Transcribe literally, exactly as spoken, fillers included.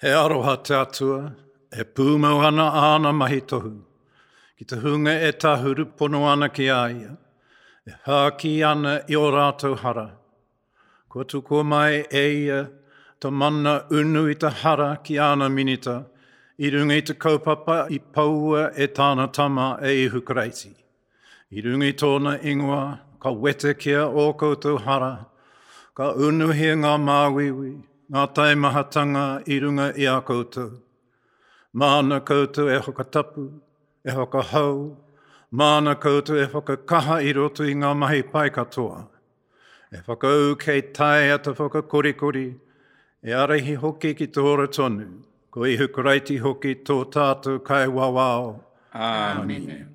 He aroha te Atua, e pūmau ana āna mahi tohu, ki te hunga e tahuri pono ana ki a ia, e hāki ana i o rātou hara. Kua tukua mai e ia te mana unu i te hara ki āna minita, i runga i te kaupapa i poua e tāna tama e Ihu Karaiti. I runga i tōna ingoa, ka wetekia ō koutou hara, ka unuhia ngā māuiui, ngā taimahatanga i runga i a koutou. Māna koutou e whakatapu, e whakahou, māna koutou e whakakaha i roto i ngā mahi pai katoa. E whakaū kei taea te whakakorikori, e ārahi hoki ki te ora tonu, ko Ihu Karaiti hoki tō tātou Kaiwawao. Āmine.